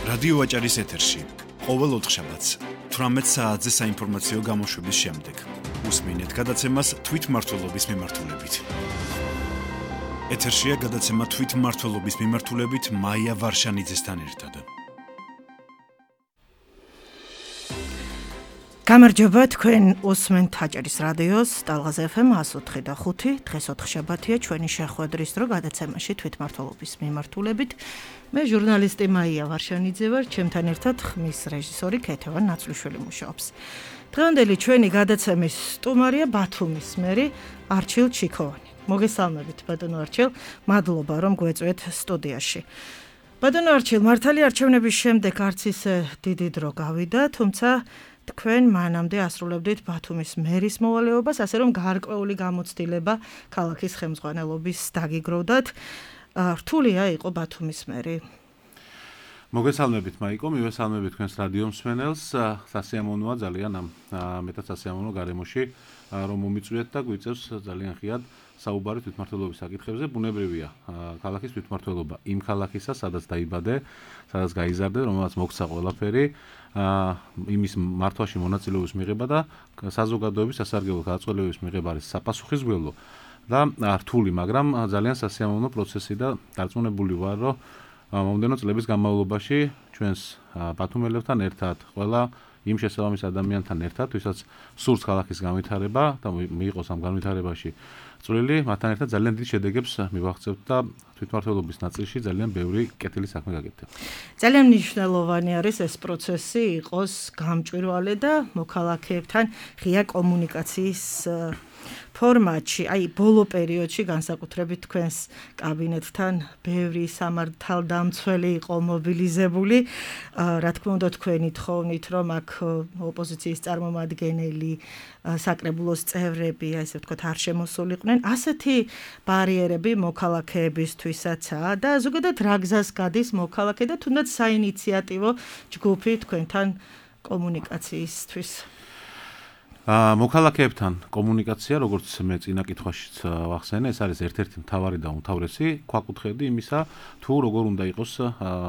რადიო ვაჭარის ეთერში ყოველ ოთხშაბათს 18 საათზე საინფორმაციო გამოშვების შემდეგ უსმინეთ გადაცემას თვითმმართველობის მიმართულებით. ეთერშია გადაცემა თვითმმართველობის მიმართულებით მაია ვარშანიძესთან ერთად. გამარჯობა, თქვენ უსმენთ ვაჭარის რადიოს ტალღაზ FM 104.5. დღეს ოთხშაბათია, ჩვენი შეხვედრის დრო გადაცემაში თვითმმართველობის მიმართულებით. მე ჟურნალისტი მაია ვარშანიძე ვარ, ჩემთან ერთად ხმის რეჟისორი ქეთევან ნაცვლიშვილი მუშაობს. დღევანდელი ჩვენი გადაცემის სტუმარია ბათუმის მერი არჩილ ჩიქოვანი. მოგესალმებით ბატონო არჩილ, მადლობა რომ გვეწვეთ სტუდიაში. ბატონო არჩილ, მართალი არჩევნების შემდეგ არც ისე დიდი დრო გავიდა, თუმცა თქვენ მანამდე ასრულებდით ბათუმის მერის მოვალეობას, ასე რომ გარკვეული გამოცდილება ქალაქის ხელმძღვანელობის დაგიგროვდათ. რთულია იყო ბათუმის მერი? მოგესალმებით მაიკო, მივესალმებით თქვენს რადიო მსმენელს. სასიამოვნოა ძალიან ამ მეტად სასიამოვნო გარემოში რომ მომიწვიეთ და გვიწევს ძალიან ხიად საუბარი თვითმმართველობის საკითხებზე. ბუნებრივია ქალაქის თვითმმართველობა იმ ქალაქისა, სადაც დაიბადე, სადაც გაიზარდე, რომელსაც მოგცა ყველაფერი, იმის მართვაში მონაწილეობის მიღება და საზოგადოების სასარგებლო გადაწყვეტილებების მიღება არის საპასუხისმგებლო და რთული, მაგრამ ძალიან სასიამოვნო პროცესი და დარწმუნებული ვარ, რომ მომდენო წლების განმავლობაში ჩვენს ბათუმელებთან ერთად, ყველა იმ შესაბამის ადამიანთან ერთად, ვისაც სურს ქალაქის განვითარება და მიიღოს ამ განვითარებაში წვლილი, მათთან ერთად ძალიან დიდ შედეგებს მივაღწევთ და თვითმმართველობის ნაწილში ძალიან ბევრი კეთილი საქმე გაკეთდება. ძალიან მნიშვნელოვანი არის ეს პროცესი იყოს გამჭვირვალე და მოქალაქეებთან ღია კომუნიკაციის ფორმატში, აი ბოლო პერიოდში განსაკუთრებით თქვენს კაბინეტთან ბევრი სამართალდამცველი იყო მობილიზებული. რა თქმა უნდა თქვენი თხოვნით, რომ აქ ოპოზიციის წარმომადგენელი, საკრებულოს წევრები, ასე ვთქვათ, არ შემოსულიყვნენ. ასეთი ბარიერები მოქალაქეებისთვისაცაა და ზოგადად რა გზას გადის მოქალაქე და თუნდაც საინიციატივო ჯგუფი თქვენთან კომუნიკაციისთვის? მოქალაქეებთან კომუნიკაცია, როგორც მე წინა კითხვაშიც ვახსენე, ეს არის ერთ-ერთი მთავარი და უმთავრესი ქვაკუთხედი იმისა, თუ როგორ უნდა იყოს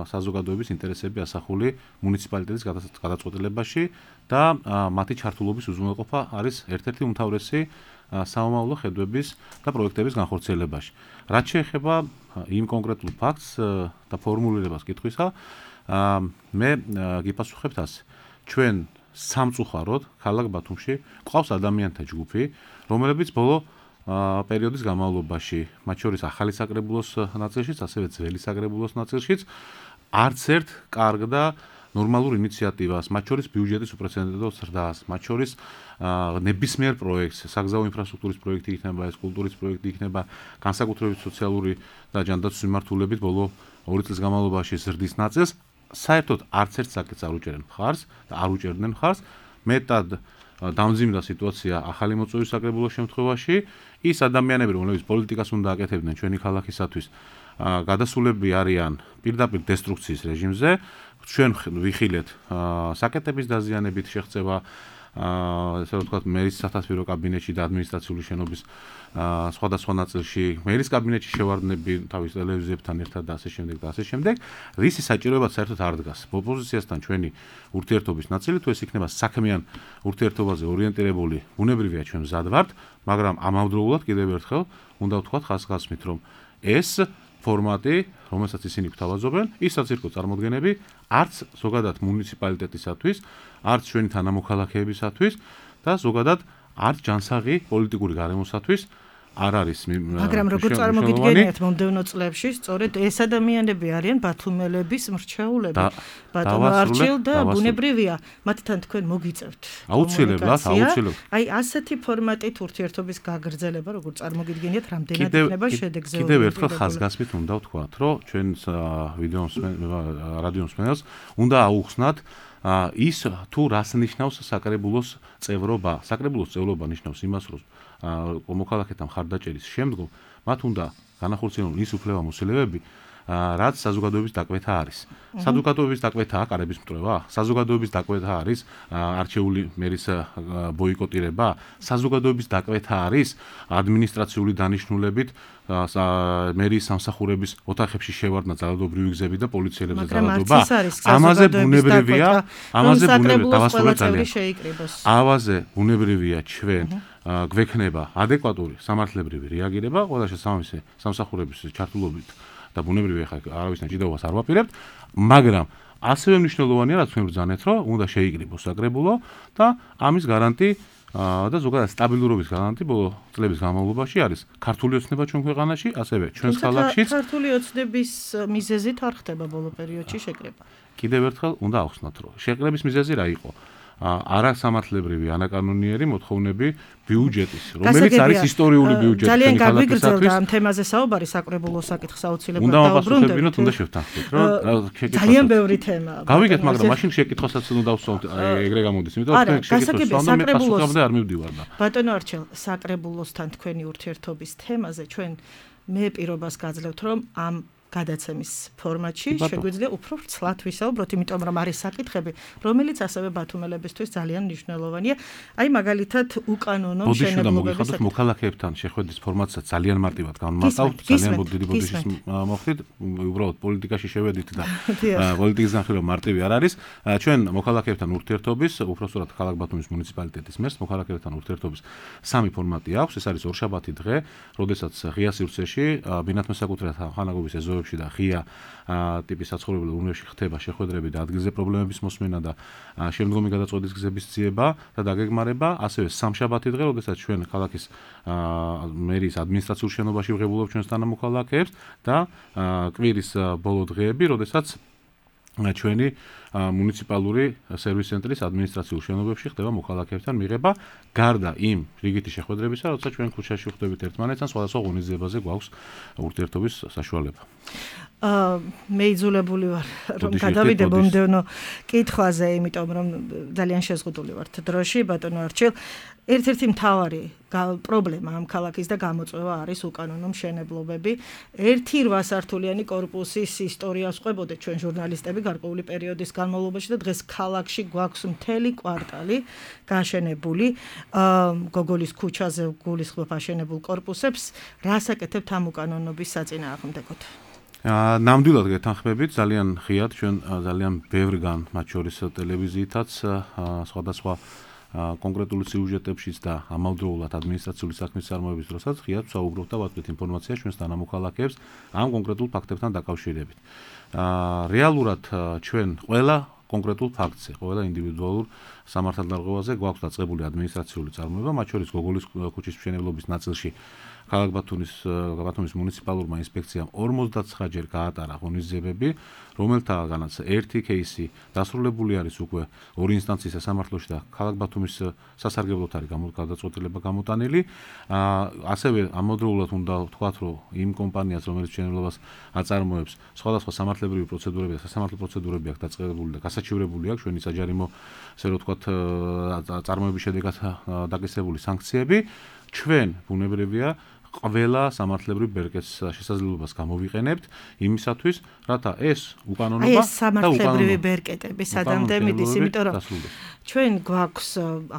საზოგადოების ინტერესები ასახული მუნიციპალიტეტის გადაწყვეტილებაში და მათი ჩართულობის უზრუნველყოფა არის ერთ-ერთი უმთავრესი სამომავლო ხედვების და პროექტების განხორციელებაში. რაც შეეხება იმ კონკრეტულ ფაქტს და ფორმულირებას კითხვისა, მე გიპასუხებთ ასე. ჩვენ სამწუხაროდ ქალაქ ბათუმში ყავს ადამიანთა ჯგუფი, რომლებიც ბოლო პერიოდის განმავლობაში, მათ შორის ახალი საკრებულოს ნაწილშიც, ასევე ძველი საკრებულოს ნაწილშიც, არც ერთ კარგ და ნორმალურ ინიციატივას, მათ შორის ბიუჯეტის უპრეცედენტო ზრდას, მათ შორის ნებისმიერ პროექტს, საგზაო ინფრასტრუქტურის პროექტი იქნება, ეს კულტურის პროექტი იქნება, განსაკუთრებით სოციალური და ჯანდაცვის მიმართულებით ბოლო 2 წლის განმავლობაში ზრდის ნაწილს საერთოდ არც ერთ საკითხს არ უჭერენ მხარს და არ უჭერდნენ მხარს. მეტად დამძიმდა სიტუაცია ახალი მოწვევის საკრებულოს შემთხვევაში. ის ადამიანები, რომლებიც პოლიტიკას უნდა აკეთებდნენ ჩვენი ქალაქისათვის, გადასულები არიან პირდაპირ დესტრუქციის რეჟიმზე. ჩვენ ვიხილეთ საკეტების დაზიანებით შეღწევა, ესე ვთქვათ, მერის სათათბირო კაბინეტში და ადმინისტრაციული შენობის სხვადასხვა ნაწილში, მერის კაბინეტში შევარდნები თავის ტელევიზიებთან ერთად და ასე შემდეგ და ასე შემდეგ. რისი საჭიროებაც საერთოდ არ დგას. ოპოზიციასთან ჩვენი ურთიერთობის ნაწილი, თუ ეს იქნება საქმიან ურთიერთობაზე ორიენტირებული, ბუნებრივია ჩვენ მზად ვართ, მაგრამ ამავდროულად კიდევ ერთხელ უნდა ვთქვათ ხაზგასმით, რომ ეს ფორმატი, რომელსაც ისინი გვთავაზობენ, ის საცირკო წარმოდგენები არც ზოგადად მუნიციპალიტეტისათვის, არც ჩვენი თანამოქალაქეებისათვის და ზოგადად არც ჯანსაღი პოლიტიკური გარემოსათვის არ არის. მაგრამ როგორ წარმოგიდგენიათ მომდევნო წლებში, სწორედ ეს ადამიანები არიან ბათუმელების მრჩეულები. ბატონო არჩილ და ბუნებრივია, მათთან თქვენ მოგიწევთ. აუცილებლად. აი ასეთი ფორმატით ურთიერთობის გაგრძელება, როგორ წარმოგიდგენიათ, რამდენად იქნება შედეგზე? კიდევ ერთხელ ხაზგასმით უნდა ვთქვათ, რომ ჩვენს რადიო მსმენელს უნდა აუხსნათ ის თუ რას ნიშნავს საკრებულოს წევრობა. საკრებულოს წევრობა ნიშნავს იმას, რომ მოქალაქეთა მხარდაჭერის შემდგომ მათ უნდა განახორციელონ ის უფლება-მოსილეები, რაც საზოგადოების დაკვეთა არის. საზოგადოების დაკვეთაა კარების მტრევა, საზოგადოების დაკვეთა არის არჩეული მერის ბოიკოტირება, საზოგადოების დაკვეთა არის ადმინისტრაციული დანიშნულებით მერის სამსახურების ოთახებში შევარდნა ძალადობრივი გზები და პოლიციელებზე ძალადობა. ამაზე ბუნებრივია, ამაზე ბუნებრივია ჩვენ გვექნება ადეკვატური სამართლებრივი რეაგირება ყველა შესაბამისი სამსახურების ჩართულობით და ბუნებრივია ხა არავის ნაჭიდაობას არ ვაპირებთ, მაგრამ ასევე მნიშვნელოვანია რაც მე ვბრძანეთ, რომ უნდა შეიკრიბოს საკრებულო და ამის გარანტი და ზოგადად სტაბილურობის გარანტი ბოლო წლების განმავლობაში არის ქართული ოცნება ჩვენ ქვეყანაში, ასევე ჩვენს ქალაქშიც. ქართული ოცნების მიზეზით არ ხდება ბოლო პერიოდში შეკრება. კიდევ ერთხელ უნდა ახსნათ, რომ შეკრების მიზეზი რა იყო? არასამართლებრივი ანაკანონიერი მოთხოვნები ბიუჯეტის, რომელიც არის ისტორიული ბიუჯეტი. ძალიან გაგვიგრძელდა ამ თემაზე საუბარი საკრებულო საკითხს აუცილებლად დაუბრუნდებით. უნდა შევთანხმდით, რომ ძალიან ბევრი თემაა. გავიგეთ, მაგრამ მაშინ შეკითხვასაც უნდა ვსვამთ, ეგრე გამოდის, იმიტომ რომ შეკითხვას საკრებულოსთან არ მივდივარ და. ბატონო არჩელ, საკრებულოსთან თქვენი ურთიერთობის თემაზე ჩვენ მე პირობას გაძლევთ, რომ ამ გადაცემის ფორმატში შეგვიძლია უფრო ვრცლად ვისაუბროთ, იმიტომ რომ არის საკითხები, რომელიც ასევე ბათუმელებისთვის ძალიან მნიშვნელოვანია. აი მაგალითად უკანონო მშენებლობების მოქალაქეებთან შეხვედრის ფორმატსაც ძალიან მარტივად განმარტავთ, ძალიან დიდი ბოდიშის მოხდით, უბრალოდ პოლიტიკაში შევედით და პოლიტიკის განხილვა მარტივი არ არის. ჩვენ მოქალაქეებთან ურთიერთობის, უпростоრად ქალაქ ბათუმის მუნიციპალიტეტის მერს მოქალაქეებთან ურთიერთობის სამი ფორმატი აქვს. ეს არის ორშაბათი დღე, როდესაც ღია სივრცეში ბინათმე საკუთრებად ხანაგობის ეზო და ღია ტიპის საცხოვრებელ უბნებში ხდება შეხვედრები და ადგილზე პრობლემების მოსმენა და შემდგომი გადაწყვეტის გზების ძიება და დაგეგმარება, ასევე სამშაბათი დღე, როდესაც ჩვენ ქალაქის მერის ადმინისტრაციულ შენობაში ვღებულობ ჩვენს თანამოქალაქეებს და კვირის ბოლო დღეები, როდესაც ჩვენი მუნიციპალური სერვის ცენტრის ადმინისტრაციულ შენობებში ხდება მოქალაქეებთან მიღება, გარდა იმ რიგითი შეხვედრებისა, როდესაც ჩვენ ქუჩაში ვხვდებით ერთმანეთთან, სხვადასხვა ღონისძიებაზე გვაქვს ურთიერთობის საშუალება. მე იძულებული ვარ რომ გადავიდე მომდევნო კითხვაზე, იმიტომ რომ ძალიან შეზღუდული ვართ დროში, ბატონო არჩილ. ერთ-ერთი მთავარი პრობლემა ამ ქალაქის და გამოწვევა არის უკანონო მშენებლობები. 1-8 სართულიანი კორპუსის ისტორიას ყვებოდეთ ჩვენ ჟურნალისტები გარკვეული პერიოდის განმავლობაში და დღეს ქალაქში გვაქვს მთელი კვარტალი გაშენებული. გოგოლის ქუჩაზე გულისხმობ აშენებულ კორპუსებს. რას აკეთებთ ამ უკანონობის საწინააღმდეგოდ? ნამდვილად გეთანხმებით, ძალიან ღიად ჩვენ ძალიან ბევრგან, მათ შორის ტელევიზიითაც, სხვადასხვა კონკრეტული სიუჟეტებშიც და ამავდროულად ადმინისტრაციული საქმის წარმოების დროსაც ღიად ვსაუბრობთ და ვაწვდით ინფორმაციას ჩვენს თანამოქალაქეებს ამ კონკრეტულ ფაქტებთან დაკავშირებით. რეალურად ჩვენ ყველა კონკრეტულ ფაქტზე, ყველა ინდივიდუალურ სამართალდარღვევაზე გვაქვს დაწყებული ადმინისტრაციული წარმოება, მათ შორის გოგოლის ქუჩის მშენებლობის ნაწილში ქალაქ ბათუმის მუნიციპალურმა ინსპექციამ 59-ჯერ გაატარა ღონისძიებები, რომელთაგანაც ერთი кейსი დასრულებული არის უკვე ორი ინსტანციის სასამართლოში და ქალაქ ბათუმის სასარგებლოდ არის გადაწყვეტილება გამოტანილი. ასევე ამავდროულად უნდა ვთქვათ, რომ იმ კომპანიას, რომელიც მშენებლობას აწარმოებს, სხვადასხვა სამართლებრივი პროცედურები და სასამართლო პროცედურები აქვს დაწყებული და გასაჩივრებული აქვს ჩვენი საჯარიმო, ასე რომ ვთქვათ, წარმოების შედეგად დაკისრებული სანქციები. ჩვენ ბუნებრივია ყველა სამართლებრივ ბერკეტს შესაძლებლობას გამოვიყენებთ იმისათვის, რათა ეს უკანონობა და სამართლებრივი ბერკეტები სადამდე მიდის, იმიტომ რომ ჩვენ გვაქვს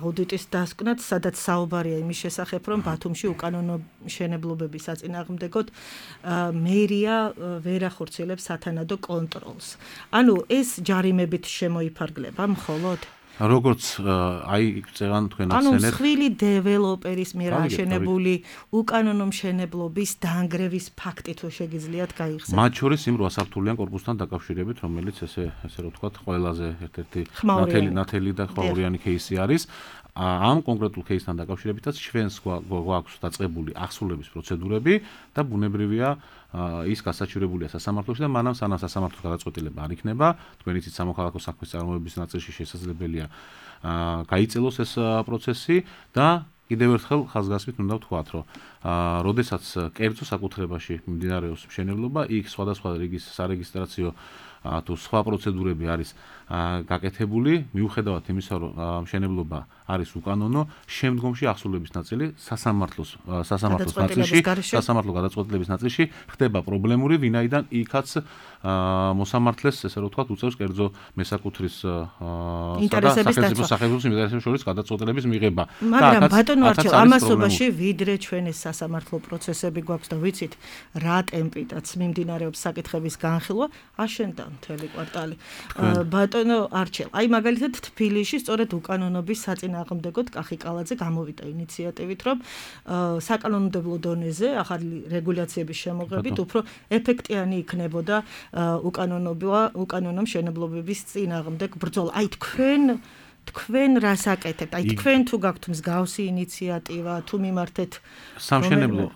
აუდიტის დასკვნად, სადაც საუბარია იმის შესახებ, რომ ბათუმში უკანონო მშენებლობების საწინააღმდეგოდ მერია ვერ ახორციელებს სათანადო კონტროლს. ანუ ეს ჯარიმებით შემოიფარგლება მხოლოდ? როგორც აი წევან თქვენ ახსენეთ. ანუ მსხვილი დეველოპერის მიერ აშენებული უკანონო მშენებლობის დაანგრევის ფაქტი თუ შეგიძლიათ გაიხსენოთ. მათ შორის იმ 8 სართულიან კორპუსთან დაკავშირებით, რომელიც ესე რომ ვთქვათ, ყველაზე ერთ-ერთი ნათელი და ხმაურიანი кейსი არის. ამ კონკრეტულ кейსთან დაკავშირებითაც ჩვენს გვაქვს დაწყებული ახსულების პროცედურები და ბუნებრივია ის გასაჩივრებულია სასამართლოში და მანამ სანამ სასამართლოს გადაწყვეტილება არ იქნება, თქვენ იცით სამოქალაქო საქმის წარმოების ნაწილში შესაძლებელია გაიწელოს ეს პროცესი და კიდევ ერთხელ ხაზგასმით უნდა ვთქვათ, რომ როდესაც კერძო საკუთრებაში მიმდინარეობს მშენებლობა, იქ სხვადასხვა რიგის სარეგისტრაციო თუ სხვა პროცედურები არის გაკეთებული, მიუხედავად იმისა, რომ მშენებლობა არის უკანონო, შემდგომში აღსრულების ნაწილი სასამართლოს გადაწყვეტილების ნაწილში ხდება პრობლემური, ვინაიდან იქაც მოსამართლეს, ესე რომ ვთქვათ, უწევს კერძო მესაკუთრის ინტერესების სახელმწიფო ინტერესების შორის გადაწყვეტილების მიღება. მაგრამ ბატონო არჩილ, ამასობაში ვიდრე ჩვენი სასამართლო პროცესები გვაქვს და ვიცით რა ტემპითაც მიმდინარეობს საკითხების განხილვა, აშენდა მთელი კვარტალი. ბატონო არჩილ, აი მაგალითად თბილისში სწორედ უკანონობის საწინააღმდეგოდ კახიკალაძე გამოვიდა ინიციატივით, რომ საკანონმდებლო დონეზე ახალი რეგულაციების შემოღებით უფრო ეფექტიანი იქნებოდა უკანონო მშენებლობების წინააღმდეგ ბრძოლა. აი თქვენ რას აკეთებთ? აი თქვენ თუ გაქვთ მსგავსი ინიციატივა, თუ მიმართეთ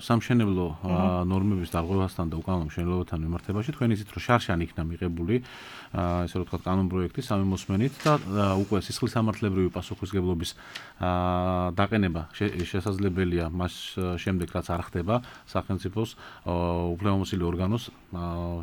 სამშენებლო ნორმების დარღვევასთან და უკანონო მშენებლობასთან მიმართებაში თქვენ იცით, რომ შარშან იქნა მიღებული ესე რომ ვთქვათ კანონპროექტი სამი მოსმენით და უკვე სისხლისამართლებრივი პასუხისმგებლობის დაყენება შესაძლებელია მას შემდეგ, რაც არ ხდება სახელმწიფოს უფლებამოსილი ორგანოს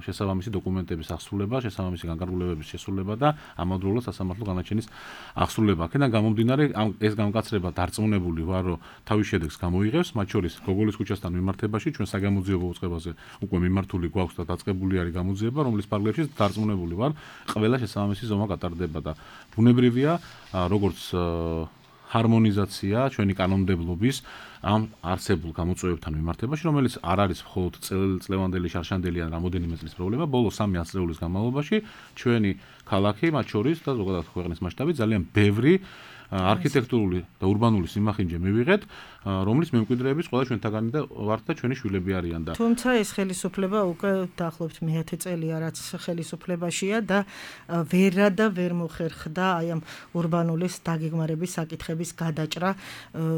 შესაბამისი დოკუმენტების აღსრულება, შესაბამისი განკარგულებების შესრულება და ამავდროულად სასამართლო განაჩენის აღსრულება. აქედან გამომდინარე, ეს გამკაცრება დარწმუნებული ვარ, რომ თავის შედეგს გამოიღებს, მათ შორის გოგოლის ქუჩასთან მიმართებაში ჩვენ საგამოძიებო უწყებაზე უკვე მიმართული გვაქვს და დაწყებული არის გამოძიება, რომლის პარალელში დარწმუნებული ვარ, ყველა შესაბამისი ზომა გატარდება და ბუნებრივია, როგორც ჰარმონიზაცია ჩვენი კანონმდებლობის ამ არსებულ გამოწვევებთან მიმართებაში, რომელიც არ არის მხოლოდ წლევანდელი, შარშანდელი ან რამოდენიმე წლის პრობლემა, ბოლო 3 ათწლეულის განმავლობაში ჩვენი ქალაქი, მათ შორის და ზოგადად ქვეყნის მასშტაბით ძალიან ბევრი არქიტექტურული და ურბანული სიმახინჯე მივიღეთ, რომლის მემკვიდრეების ყველა ჩვენთაგანი და ვართ და ჩვენი შვილები არიან და თუმცა ეს ხელისუფლება უკვე დაახლოებით მე-10 წელია რაც ხელისუფლებაშია და ვერ მოხერხდა აი ამ ურბანულის დაგეგმარების საკითხების გადაჭრა,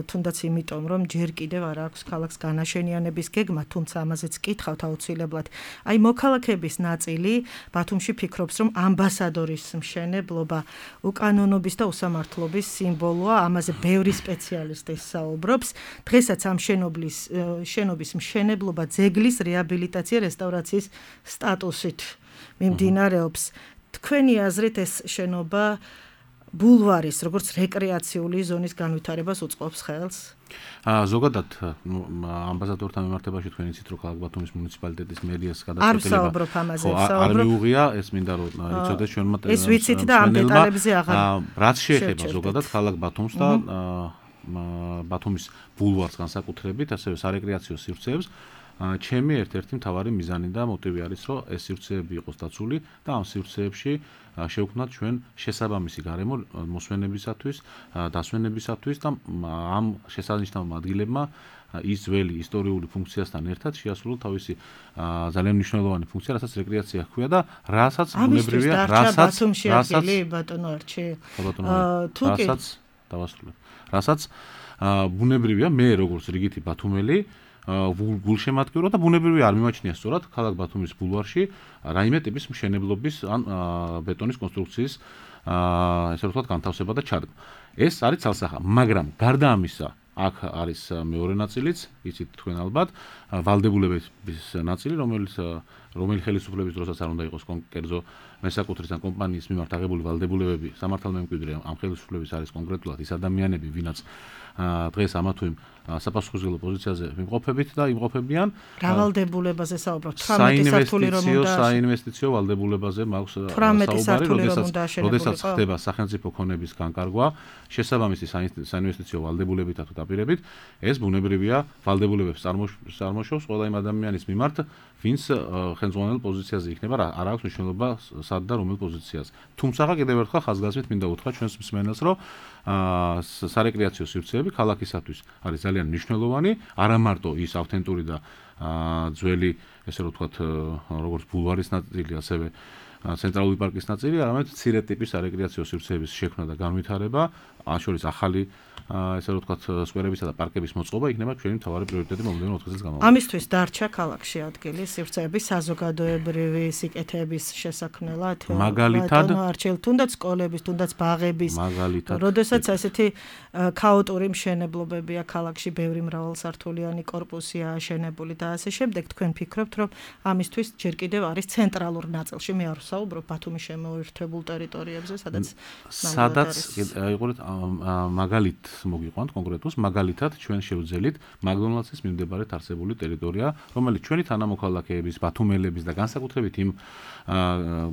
თუნდაც იმიტომ რომ ჯერ კიდევ არ აქვს ქალაქს განაშენიანების გეგმა, თუმცა ამაზეც კითხავთ აუცილებლად. აი მოქალაქეების ნაწილი ბათუმში ფიქრობს, რომ ამბასადორის მშენებლობა უკანონობის და უსამართლობის სიმბოლოა, ამაზე ბევრი სპეციალისტი საუბრობს. დღესაც ამ შენობის მშენებლობა ძეგლის რეაბილიტაცია რესტავრაციის სტატუსით მიმდინარეობს. თქვენი აზრით ეს შენობა ბულვარის, როგორც რეკრეაციული ზონის განვითარებას უწყობს ხელს? ზოგადად ამბასადორთან მიმართებაში თქვენ იცით, რომ ქალაქ ბათუმის მუნიციპალიტეტის მერიას გადაწყვეტილება არ ვსაუბრობ ამაზე, არ მიუღია, ეს მინდა რომ იცოდეს ჩვენმა ეს ვიცით და ამ დეტალებზე აღარ რაც შეეხება ზოგადად ქალაქ ბათუმს და ბათუმის ბულვარს განსაკუთრებით, ასევე სარეკრეაციო სივრცეებს, ჩემი ერთ-ერთი მთავარი მიზანი და მოტივი არის, რომ ეს სივრცეები იყოს დაცული და ამ სივრცეებში შევქმნათ ჩვენ შესაბამისი გარემო მოსვენებისათვის, დასვენებისათვის და ამ შესანიშნავ ადგილებმა ის ძველი ისტორიული ფუნქციასთან ერთად შეასრულოს თავისი ძალიან მნიშვნელოვანი ფუნქცია, რასაც რეკრეაცია ჰქვია და რასაც ბუნებრივია, რასაც ბუნებრივია მე როგორც რიგითი ბათუმელი გულშემატკივრო და ბუნებრივი არ მიმაჩნია სწორად ქალაქ ბათუმის ბულვარში რაიმე ტიპის მშენებლობის ან ბეტონის კონსტრუქციის ესე ვთქვათ განთავსება და ჩადგმა. ეს არის ცალსახა, მაგრამ გარდა ამისა აქ არის მეორე ნაწილიც, იცით თქვენ ალბათ, ვალდებულების ნაწილი, რომელი ხელისუფლების დროსაც არ უნდა იყოს კერძო მესაკუთრის ან კომპანიის მიმართ აღებული ვალდებულებები, სამართალმემკვიდრე ამ ხელისუფლების არის კონკრეტულად ის ადამიანები, ვინაც დღეს ამა თუ იმ საპასუხისმგებლო პოზიციაზე იმყოფებით და იმყოფებიან. რა ვალდებულებაზე საუბრობთ? 18 სართული რომ უნდა საინვესტიციო ვალდებულებაზე მაქვს საუბარი, როდესაც ხდება სახელმწიფო ქონების განკარგვა, შესაბამისი საინვესტიციო ვალდებულებითა თუ დაპირებით, ეს ბუნებრივია ვალდებულებებს წარმოშობს ყველა იმ ადამიანის მიმართ, ვინც ხელმძღვანელ პოზიციაზე იქნება, არ აქვს მნიშვნელობა სად და რომელ პოზიციაზე. თუმცა კიდევ ერთხელ ხაზგასმით მინდა უთხრა ჩვენს მსმენელს, რომ სარეკრეაციო სივრცეები ქალაქისათვის არის ძალიან მნიშვნელოვანი, არა მარტო ის ავთენტური და ძველი, ესე რომ ვთქვათ, როგორც ბულვარის ნაწილი, ასევე ცენტრალური პარკის ნაწილი, არამედ მცირე ტიპის სარეკრეაციო სივრცეების შექმნა და განვითარება ამ შორის ახალი ესე რომ ვთქვათ, სკვერებისა და პარკების მოწყობა იქნება ჩვენი მთავარი პრიორიტეტი მომდევნო 4 წელს განმავლობაში. ამისთვის დარჩა ქალაქში ადგილი სივრცეების საზოგადოებრივი სიკეთეების შესაქმნელად, მაგალითად, არჩეულ თუნდაც სკოლების, თუნდაც ბაღების. მაგალითად, როდესაც ასეთი ქაოტური მშენებლობებია ქალაქში, ბევრი მრავალსართულიანი კორპუსია აშენებული და ასე შემდეგ, თქვენ ფიქრობთ, რომ ამისთვის ჯერ კიდევ არის ცენტრალურ ნაწილში, მე არ ვსაუბრობ ბათუმის შემოერთებულ ტერიტორიებზე, სადაც აიყურეთ მაგალით მოგიყვანთ კონკრეტულს, მაგალითად ჩვენ შევძელით მაკდონალდსის მიმდებარედ არსებული ტერიტორია, რომელიც ჩვენი თანამოქალაქეების, ბათუმელების და განსაკუთრებით იმ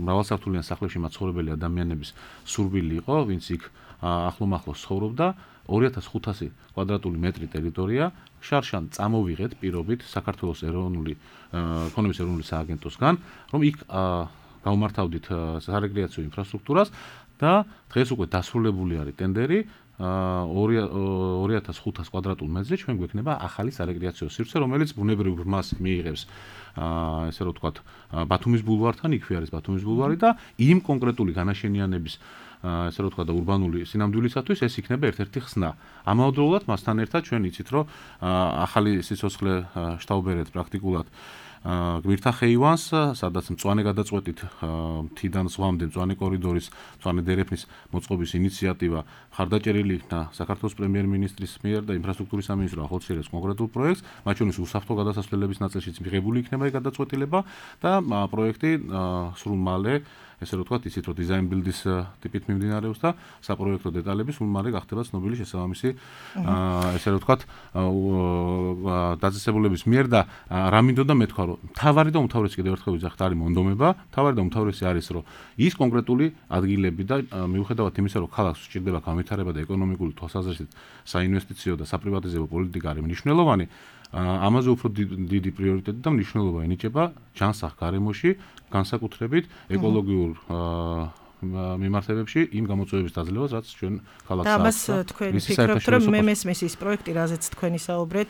მრავალსართულიან სახლებში მაცხოვრებელი ადამიანების სურვილი იყო, ვინც იქ ახლომახლოს ცხოვრობდა, 2500 კვადრატული მეტრი ტერიტორია შარშან წამოვიღეთ პირობით საქართველოს ეკონომიკის ეროვნული სააგენტოსგან, რომ იქ გავმართავდით სარეკრეაციო ინფრასტრუქტურას და დღეს უკვე დასრულებული არის ტენდერი 2500 კვადრატულ მეტრზე ჩვენ გვექნება ახალი სარეკრეაციო სივრცე, რომელიც ბუნებრივ ბრმას მიიღებს ესე რომ ვთქვათ ბათუმის ბულვართან, იქვე არის ბათუმის ბულვარი და იმ კონკრეტული განაშენიანების ესე რომ ვთქვათ და ურბანული სინამდვილისათვის ეს იქნება ერთ-ერთი ხსნა. ამავდროულად მასთან ერთად ჩვენ იცით რომ ახალი სიცოცხლე შტაუბერეთ პრაქტიკულად გვირთა ხეივანს, სადაც მწვანე გადაწყვეტით მთიდან ზღვამდე მწვანე კორიდორის, მწვანე დერეფნის მოწყობის ინიციატივა ხარდაჭერილი იქნა საქართველოს პრემიერ-მინისტრის მიერ და ინფრასტრუქტურის სამინისტრო ახორციელებს კონკრეტულ პროექტს, მათ შორის უსაფრთხო გადასასვლელების ნაწილშიც მიღებული იქნება ეს გადაწყვეტილება და პროექტი სრულ მალე ესე რომ ვთქვათ, იცით რომ დიზაინ ბილდის ტიპით მიმდინარეობს და საპროექტო დეტალები სულ მალე გახდება ცნობილი შესაბამისი ესე რომ ვთქვათ დაწესებულების მიერ და რა მინდოდა მეთქვა რომ მთავარი და უმთავრესი კიდევ ერთხელ ვიძახთ არის მონდომება, მთავარი და უმთავრესი არის რომ ის კონკრეტული ადგილები და მიუხედავად იმისა რომ ქალაქს სჭირდება განვითარება და ეკონომიკური თვალსაზრისით საინვესტიციო და საპრივატიზებო პოლიტიკა არის მნიშვნელოვანი, ამაზე უფრო დიდი პრიორიტეტი და მნიშვნელობა ენიჭება ჯანსაღ გარემოში, განსაკუთრებით ეკოლოგიურ მიმართებებში იმ გამოწვევების დაძლევას, რაც ჩვენ ქალაქს აქვს. და ამას თქვენ ფიქრობთ, რომ მე მესმის ის პროექტი, რაზეც თქვენ ისაუბრეთ,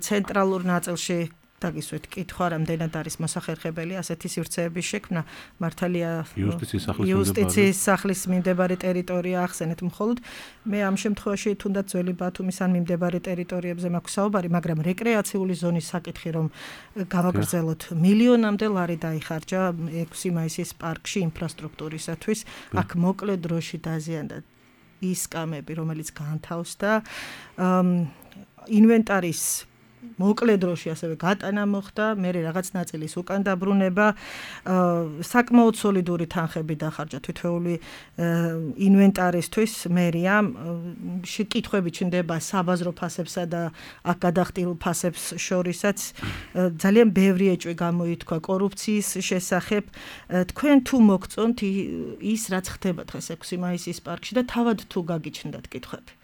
ცენტრალურ ნაწილში დაგისვეთ კითხვა, რამდენად არის მოსახერხებელი ასეთი სივრცეების შექმნა, მართალია იუსტიციის სახლის მიმდებარე ტერიტორია ახსენეთ მხოლოდ. მე ამ შემთხვევაში თუნდაც ძველი ბათუმის ან მიმდებარე ტერიტორიებზე მაქვს საუბარი, მაგრამ რეკრეაციული ზონის საკითხი, რომ გავაგრძელოთ მილიონამდე ლარი დაიხარჯა 6 მაისის პარკში ინფრასტრუქტურისათვის, აქ მოკლე დროში დაზიანდა ის კამები, რომელიც განთავსდა, ინვენტარის მოკლე დროში ასევე გატანა მოხდა, მე რაღაც ნაწილის უკან დაბრუნება, საკმაოდ სოლიდური თანხები დახარჯა თითოეული ინვენტარისთვის მერიამ, კითხვები ჩნდება საბაზრო ფასებსა და აქ გადახდილ ფასებს შორისაც, ძალიან ბევრი ეჭვი გამოითქვა კორუფციის შესახებ. თქვენ თუ მოგწონთ ის, რაც ხდება დღეს 6 მაისის პარკში და თავად თუ გაგიჩნდათ კითხვები?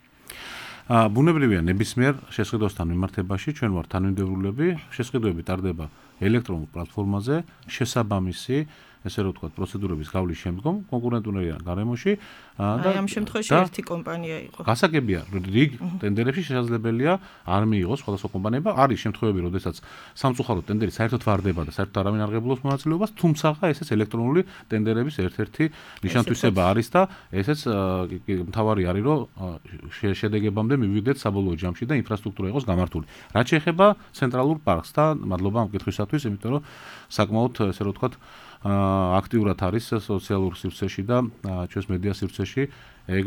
ბუნებრივია ნებისმიერ შესყიდვასთან მიმართებაში ჩვენ ვართ თანმიმდევრულები, შესყიდვები ტარდება ელექტრონულ პლატფორმაზე, შესაბამისი ესე რომ ვთქვათ, პროცედურების გავლის შემდგომ კონკურენტულიან გარემოში და ამ შემთხვევაში ერთი კომპანია იყო. გასაგებია, რიგ ტენდერებში შესაძლებელია არ მიიღოს სხვადასხვა კომპანიებმა, არის შემთხვევები, როდესაც სამწუხაროდ ტენდერი საერთოდ ვარდება და საერთოდ არავინ არ ღებულობს მონაწილეობას, თუმცა ესეც ელექტრონული ტენდერების ერთ-ერთი ნიშანთვისება არის და ესეც მთავარი არის, რომ შედეგებამდე მივიდეთ საბოლოო ჯამში და ინფრასტრუქტურა იყოს გამართული. რაც შეეხება ცენტრალურ პარკს და მადლობა ამ კითხვისათვის, იმიტომ რომ საკმაოდ ესე რომ ვთქვათ აქტიურად არის სოციალურ სივრცეში და ჩვენს მედია სივრცეში ეგ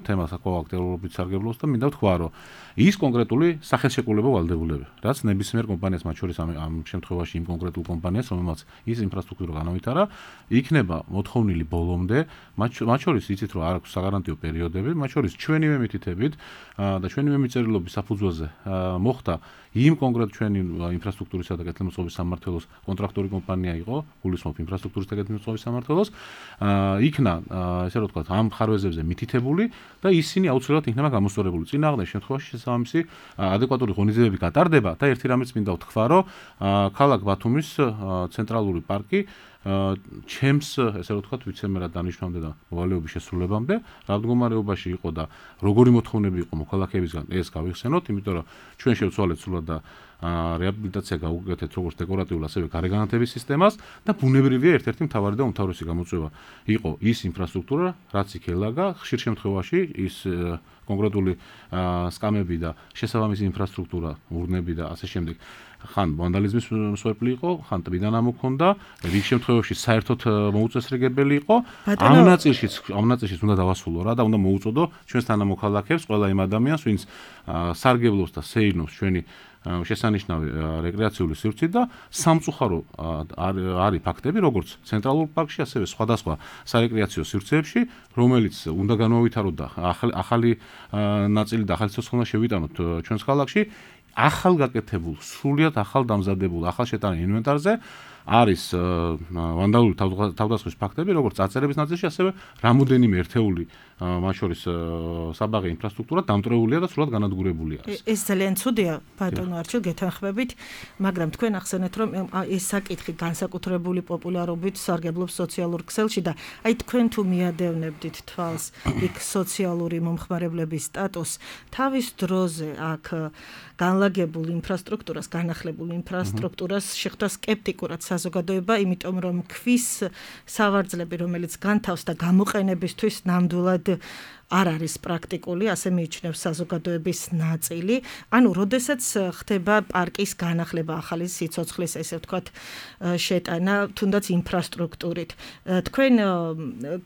თემა საკმაოდ აქტიურობით სარგებლობს და მინდა ვთქვა, რომ ის კონკრეტული სახელშეკრულებო ვალდებულება, რაც ნებისმიერ კომპანიას, მათ შორის ამ შემთხვევაში იმ კონკრეტულ კომპანიას, რომელმაც ის ინფრასტრუქტურა განავითარა, იქნება მოთხოვნილი ბოლომდე, მათ შორის იცით, რომ არ აქვს საგარანტიო პერიოდები, მათ შორის ჩვენივე მითითებით და ჩვენივე მიწერილობის საფუძველზე მოხდა იმ კონკრეტ ჩვენი ინფრასტრუქტურისა და კეთილმოწყობის სამმართველოს კონტრაქტორი კომპანია იყო, გულისხმობ ინფრასტრუქტურის და კეთილმოწყობის სამმართველოს, იქნა ესე რომ ვთქვათ, ამ ხარვეზებზე მითითებული და ისინი აუცილებლად იქნება გამოსწორებული. წინააღმდეგ შემთხვევაში შესაბამისი ადეკვატური ღონისძიებები გატარდება და ერთი რამეც მინდა ვთქვა, რომ ქალაქ ბათუმის ცენტრალური პარკი ჩემს ესე რომ ვთქვათ ვიცემერად დანიშნავამდე და მოვალეობის შესრულებამდე რა მდგომარეობაში იყო და როგორი მოთხოვნები იყო მოქალაქეებისგან ეს გავიხსენოთ, იმიტომ რომ ჩვენ შევცვალეთ სულად და რეაბილიტაცია გავუკეთეთ როგორც დეკორატიულ ასევე გარეგანათების სისტემას და ბუნებრივია ერთ-ერთი მთავარი და უმთავრესი გამოწვევა იყო ის ინფრასტრუქტურა, რაც იქ ელაგა, ხშირ შემთხვევაში ის კონკრეტული სკამები და შესაბამისი ინფრასტრუქტურა, ურნები და ასე შემდეგ ხან ვანდალიზმის მსხვერპლი იყო, ხან ტბიდან ამოქონდა, რიგ შემთხვევაში საერთოდ მოუწესრიგებელი იყო. ამ ნაწილშიც უნდა დავასრულო რა და უნდა მოუწოდო ჩვენს თანამოქალაქეებს, ყველა იმ ადამიანს, ვინც სარგებლობს და სეირნობს ჩვენი შესანიშნავი რეკრეაციული სივრცით და სამწუხარო არის ფაქტები, როგორც ცენტრალურ პარკში, ასევე სხვადასხვა სარეკრეაციო სივრცეებში, რომელიც უნდა განმოვითაროთ და ახალი ნაწილი და ახალი ცოცხლი უნდა შევიტანოთ ჩვენს ქალაქში, ახალ გაკეთებულ, სრულიად ახალ დამზადებულ, ახალ შეტანილ ინვენტარზე არის ვანდალური თავდასხმის ფაქტები, როგორც წარწერების ნაწილში, ასევე რამოდენიმე ერთეული მათ შორის საბაღე ინფრასტრუქტურა დამტრეულია და სრულად განადგურებული არის. ეს ძალიან ცუდია, ბატონო არჩილ, გეთანხმებით, მაგრამ თქვენ ახსენეთ, რომ ეს საკითხი განსაკუთრებული პოპულარობით სარგებლობს სოციალურ ქსელში და აი თქვენ თუ მიადევნებდით თვალს იქ სოციალური მომხმარებლების სტატუსს, თავის დროზე აქ განლაგებულ ინფრასტრუქტურას, განახლებულ ინფრასტრუქტურას შეხვდა სკეპტიკურად საზოგადოება, იმიტომ რომ ქვის სავარძლები, რომელიც განთავს და გამოყენებისთვის ნამდვილად არ არის პრაქტიკული, ასე მიიჩნევს საზოგადოების ნაწილი. ანუ, როდესაც ხდება პარკის განახლება, ახალი სიცოცხლის, ესე ვთქვათ, შეტანა, თუნდაც ინფრასტრუქტურით. თქვენ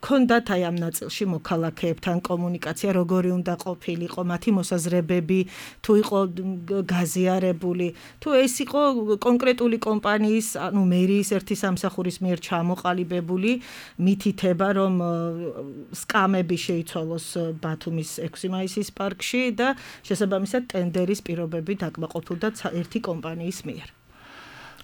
გქონდათ აი ამ ნაწილში მოქალაქეებთან კომუნიკაცია, როგორი უნდა ყოფილიყო, მათი მოსაზრებები, თუ იყო გაზიარებული, თუ ეს იყო კონკრეტული კომპანიის, ანუ მერიის ერთი სამსახურის მიერ ჩამოყალიბებული მითითება, რომ სკამები შეიცვალოს ბათუმის 6 მაისის პარკში და შესაბამისად ტენდერის პირობები დაკმაყოფილდა ერთი კომპანიის მიერ.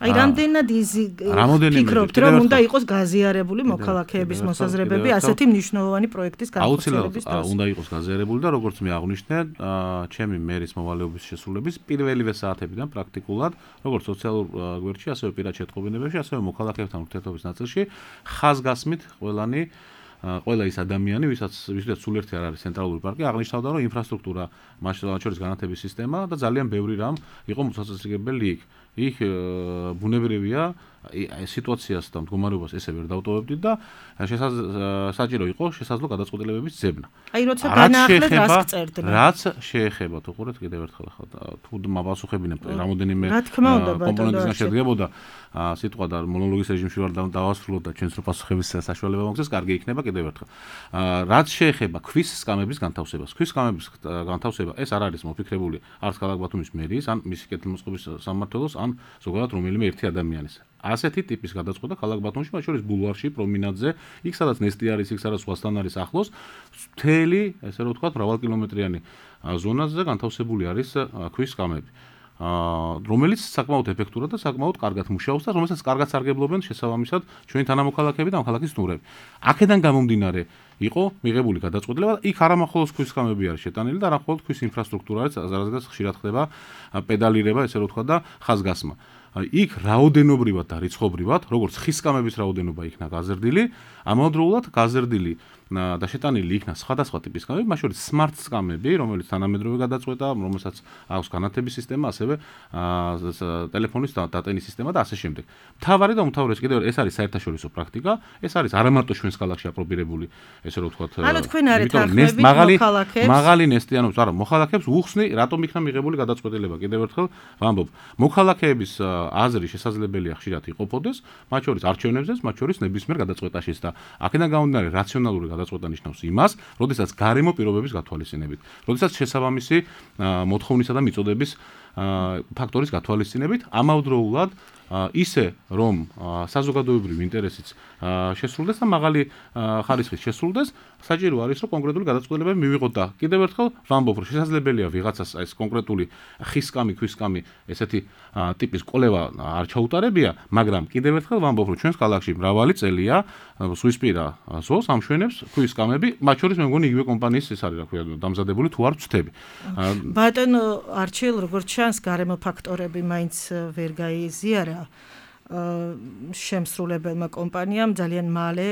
აი რამდენად ფიქრობთ, რომ უნდა იყოს გაზიარებული მოქალაქეების მოსაზრებები ასეთი მნიშვნელოვანი პროექტის განხორციელების დროს? აუცილებლად უნდა იყოს გაზიარებული და როგორც მე აღვნიშნე, ჩემი მერის მოვალეობის შესრულების პირველივე საათებიდან პრაქტიკულად, როგორც სოციალურ გვერდში, ასევე პირად შეტყობინებებში, ასევე მოქალაქეებთან ურთიერთობის ნაწილში ხაზგასმით ყველა ის ადამიანი, ვისაც სულ ერთი არ არის ცენტრალური პარკი, აღნიშნავდა, რომ ინფრასტრუქტურა, მათ შორის განათების სისტემა და ძალიან ბევრი რამ იყო მოსაწესრიგებელი იქ. იქ ბუნებრივია სიტუაციას და მდგომარეობას ესე ვერ დავტოვებდით და საჭირო იყო შესაძლო გადაწყვეტილებების ძებნა. აი როცა განაახლეთ რას გწერდნენ? რაც შეეხება, თუ ხურეთ კიდევ ერთხელ თუ მაპასუხებინებ რამოდენიმე კომპონენტისგან შედგებოდა სიტყვა და მონოლოგის რეჟიმში ვარ დავასრულოთ და ჩვენს რო პასუხების საშუალება მოგცეს, კარგი იქნება კიდევ ერთხელ. რაც შეეხება ქვის სკამების განთავსებას. ქვის სკამების განთავსება ეს არ არის მოფიქრებული არც ქალაქ ბათუმის მერიის, ან მისი კეთილმოწყობის სამმართველოს, ან ზოგადად რომელიმე ერთი ადამიანის. ასეთი ტიპის გადაწყვეტა ქალაქ ბათუმში, მათ შორის ბულვარში, პრომინადზე, იქ სადაც ნესტი არის, იქ სადაც ზღვასთან არის ახლოს, მთელი, ესე რომ ვთქვათ, მრავალკილომეტრიანი ზონაზე განთავსებული არის ქვის სკამები. რომელიც საკმაოდ ეფექტურად და საკმაოდ კარგად მუშაობს და რომელსაც კარგად სარგებლობენ შესაბამისად ჩვენი თანამოქალაქეები და ამხალახის სტუმრები. აქედან გამომდინარე იყო მიღებული გადაწყვეტილება და იქ არამხოლოდ ქვის სკამები არის შეტანილი და არამხოლოდ ქვის ინფრასტრუქტურა არის, რადგან ხშირად ხდება პედალირება, ესე რომ ვთქვათ და ხაზგასმა. იქ რაოდენობრივად და რიცხობრივად, როგორც ხის სკამების რაოდენობა იქნა გაზრდილი, ამავდროულად გაზრდილი და შეტანილი იქნა სხვადასხვა ტიპის სკამები, მათ შორის smart სკამები, რომელიც თანამედროვე გადაწყვეტა, რომელსაც აქვს განათების სისტემა, ასევე ტელეფონის დატენის სისტემა და ასე შემდეგ. მთავარი და უმთავრესი კიდევ ეს არის საერთაშორისო პრაქტიკა, ეს არის არამარტო ჩვენს ქალაქში აპრობირებული, ესე რომ ვთქვათ, ანუ თქვენ არეთ ახმებით მოქალაქეებს, მაღალი ნესტიანობის, არა, მოქალაქეებს უხსნი, რატომ იქნა მიღებული გადაწყვეტილება, კიდევ ერთხელ ვამბობ, მოქალაქეების აზრი შესაძლებელია ხშირად იყოფოდეს, მათ შორის არჩევნებზეც, მათ შორის ნებისმიერ გადაწყვეტაშიც და აქედან გამომდინარე რაციონალური გადაწყვეტა ნიშნავს იმას, როდესაც გარემო პირობების გათვალისწინებით, როდესაც შესაბამისი მოთხოვნისა და მიწოდების ფაქტორის გათვალისწინებით, ამავდროულად ისე რომ საზოგადოებრივი ინტერესიც შესრულდეს და მაღალი ხარისხით შესრულდეს, საჭირო არის რომ კონკრეტული გადაწყვეტილებები მივიღოთ და კიდევ ერთხელ ვამბობ, რომ შესაძლებელია ვიღაცას ეს კონკრეტული ხის სკამი, ქვის სკამი, ესეთი ტიპის კვლევა არ ჩაუტარებია, მაგრამ კიდევ ერთხელ ვამბობ, რომ ჩვენს ქალაქში მრავალი წელია ზღვისპირა ზოლს ამშვენებს ქვის სკამები, მათ შორის მე მგონი იგივე კომპანიის ეს არის, რა ქვია, დამზადებული თუ არ ვწდები. ბატონო არჩილ, როგორც ჩანს, გარემო ფაქტორები მაინც ვერ გაიზიარა. შემსრულებელმა კომპანიამ ძალიან მალე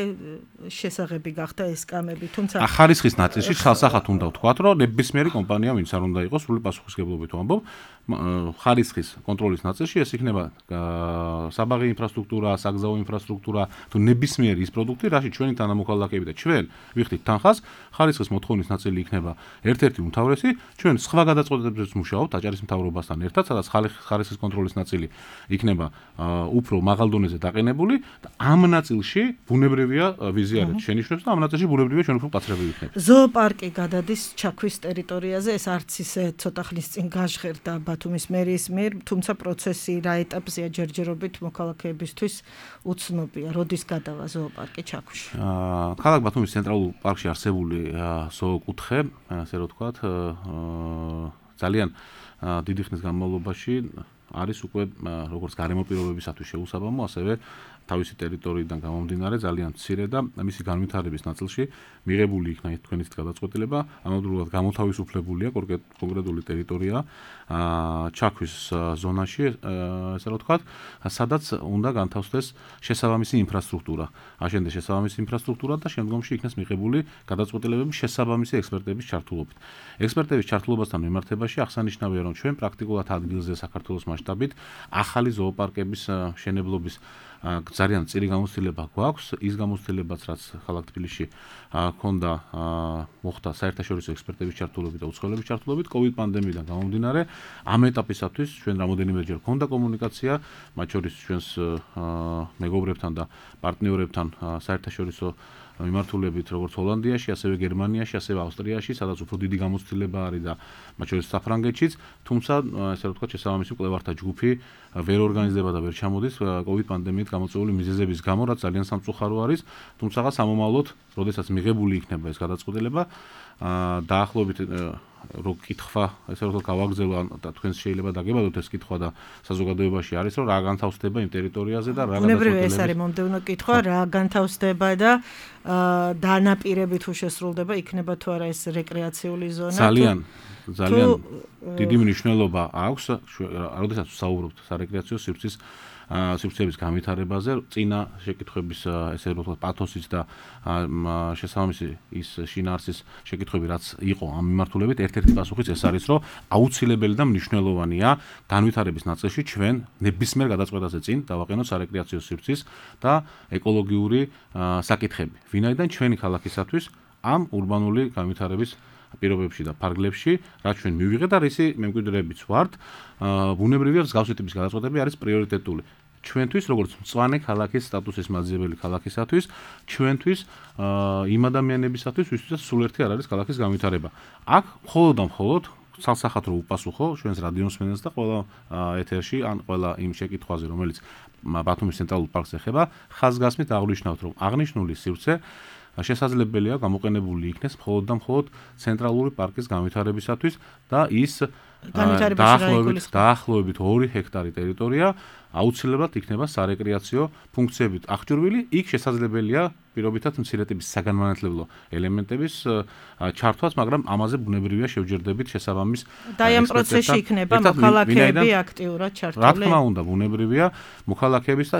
შესაძლებელი გახდა ეს სკამები, თუმცა ხარისხის ნაწილში ხალხსახად უნდა ვთქვათ, რომ ნებისმიერი კომპანია ვინც არ უნდა იყოს სრული პასუხისმგებლობით ვამბობ, ხარისხის კონტროლის ნაწილში ეს იქნება საბაღი ინფრასტრუქტურა, საგზაო ინფრასტრუქტურა, თუ ნებისმიერი ის პროდუქტი, რაშიც ჩვენი თანამოქალაქეები და ჩვენ ვიხდით თანხას, ხარისხის მოთხოვნის ნაწილი იქნება ერთ-ერთი უმთავრესი, ჩვენ სხვა გადაწყვეტილებებს მუშაობთ აჭარის მთავრობასთან ერთად, სადაც ხარისხის კონტროლის ნაწილი იქნება უფრო მაღალ დონეზე დაყენებული და ამ ნაწილში ბუნებრივია ვიზიარეთ შენიშვნებს და ამ ნაწილში ბუნებრივია ჩვენ უფრო მკაცრები ვიქნებით. ზოოპარკი გადადის ჩაქვის ტერიტორიაზე, ეს არც ისე ცოტა ხნის წინ გაჟღერდა ბათუმის მერიის მიერ, თუმცა პროცესი რა ეტაპზეა ჯერჯერობით მოქალაქეებისთვის უცნობია. როდის გადავა ზოოპარკი ჩაქვში? ქალაქ ბათუმის ცენტრალურ პარკში არსებული ზოოკუთხე, ასე რომ ვთქვათ, ძალიან დიდი ხნის განმავლობაში არის უკვე როგორც გარემო პირობებისათვის შეუსაბამო, ასევე თავისი ტერიტორიიდან გამომდინარე ძალიან მცირე და მისი განვითარების ნაწილში მიღებული იქნა თქვენი გადაწყვეტილება, ამავდროულად გამოთავისუფლებულია კონკრეტული ტერიტორია ჩაქვის ზონაში, ასე რომ ვთქვათ, სადაც უნდა განთავსდეს შესაბამისი ინფრასტრუქტურა. აშენდეს შესაბამისი ინფრასტრუქტურა და შემდგომში იქნეს მიღებული გადაწყვეტილებები შესაბამისი ექსპერტების ჩართულობით. ექსპერტების ჩართულობასთან მიმართებაში აღსანიშნავია, რომ ჩვენ პრაქტიკულად ადგილზე საქართველოს მასშტაბით ახალი ზოოპარკების მშენებლობის ძალიან წირი გამოცდილება გვაქვს, ის გამოცდილებაც რაც ქალაქ თბილისში ჰქონდა მოხდა საერთაშორისო ექსპერტების ჩართულობით და უცხოელების ჩართულობით COVID პანდემიიდან გამომდინარე, ამ ეტაპისათვის ჩვენ რამოდენიმეჯერ ჰქონდა კომუნიკაცია, მათ შორის ჩვენს მეგობრებთან და პარტნიორებთან საერთაშორისო მიმართულებით როგორც ჰოლანდიაში, ასევე გერმანიაში, ასევე ავსტრიაში, სადაც უფრო დიდი გამოცდილება არის და მათ შორის საფრანგეთშიც, თუმცა ესე რომ ვთქვათ, შესაბამისი მკვლევართა ჯგუფი ვერ ორგანიზდება და ვერ ჩამოდის COVID პანდემიით გამოწვეული მიზეზების გამო, რაც ძალიან სამწუხარო არის, თუმცა სამომავლოდ, როდესაც მიღებული იქნება ეს გადაწყვეტილება, დაახლოებით რო კითხვა, ესე რომ გავაგზავნო და თქვენ შეიძლება დაგებადოთ ეს კითხვა და საზოგადოებაში არის, რომ რა განთავსდება იმ ტერიტორიაზე და რა განთავსდება. ეს არის მომდევნო კითხვა, რა განთავსდება და დანაპირები თუ შესრულდება, იქნება თუ არა ეს რეკრეაციული ზონა? ძალიან დიდი მნიშვნელობა აქვს, როდესაც ვსაუბრობთ სარეკრეაციო სივრცეების განვითარებაზე, წინა შეკითხვების ესე რომ ვთქვათ პათოსის და შესაბამისი ის შინაარსის შეკითხვები რაც იყო ამ მიმართულებით, ერთ-ერთი პასუხიც ეს არის, რომ აუცილებელი და მნიშვნელოვანია განვითარების ნაწილში ჩვენ ნებისმიერ გადაწყვეტაზე წინ დავაყენოთ სარეკრეაციო სივრცის და ეკოლოგიური საკითხები. ვინაიდან ჩვენი ქალაქისათვის ამ урბანული განვითარების პირობებში და ფარგლებში, რაც ჩვენ მივიღეთ და რისი მემკვიდრეებიც ვართ, ბუნებრივია მსგავსი ტიპის გადაწყვეტები არის პრიორიტეტული. ჩვენთვის, როგორც მწვანე ქალაქის სტატუსის მაძიებელი ქალაქისათვის, ჩვენთვის იმ ადამიანებისათვის, ვისთვისაც სულ ერთი არ არის ქალაქის განვითარება. აქ მხოლოდ და მხოლოდ ცალსახად რო უპასუხო ჩვენს რადიოსმენელს და ყველა ეთერში ან ყველა იმ შეკითხვაზე, რომელიც ბათუმის ცენტრალურ პარკს ეხება, ხაზგასმით აღვნიშნავთ, რომ აღნიშნული სივრცე შესაძლებელია გამოყენებული იქნეს მხოლოდ და მხოლოდ ცენტრალური პარკის განვითარებისათვის და ის დაახლოებით 2 ჰექტარი ტერიტორია აუცილებლად იქნება სარეკრეაციო ფუნქციებით აღჭურვილი, იქ შესაძლებელია პირობითად მცირე ტიპის საგანმანათლებლო ელემენტების ჩართვაც, მაგრამ ამაზე ბუნებრივია შევჯერდებით შესაბამის და ამ პროცესში იქნება მოქალაქეები აქტიურად ჩართული. რა თქმა უნდა, ბუნებრივია მოქალაქეების და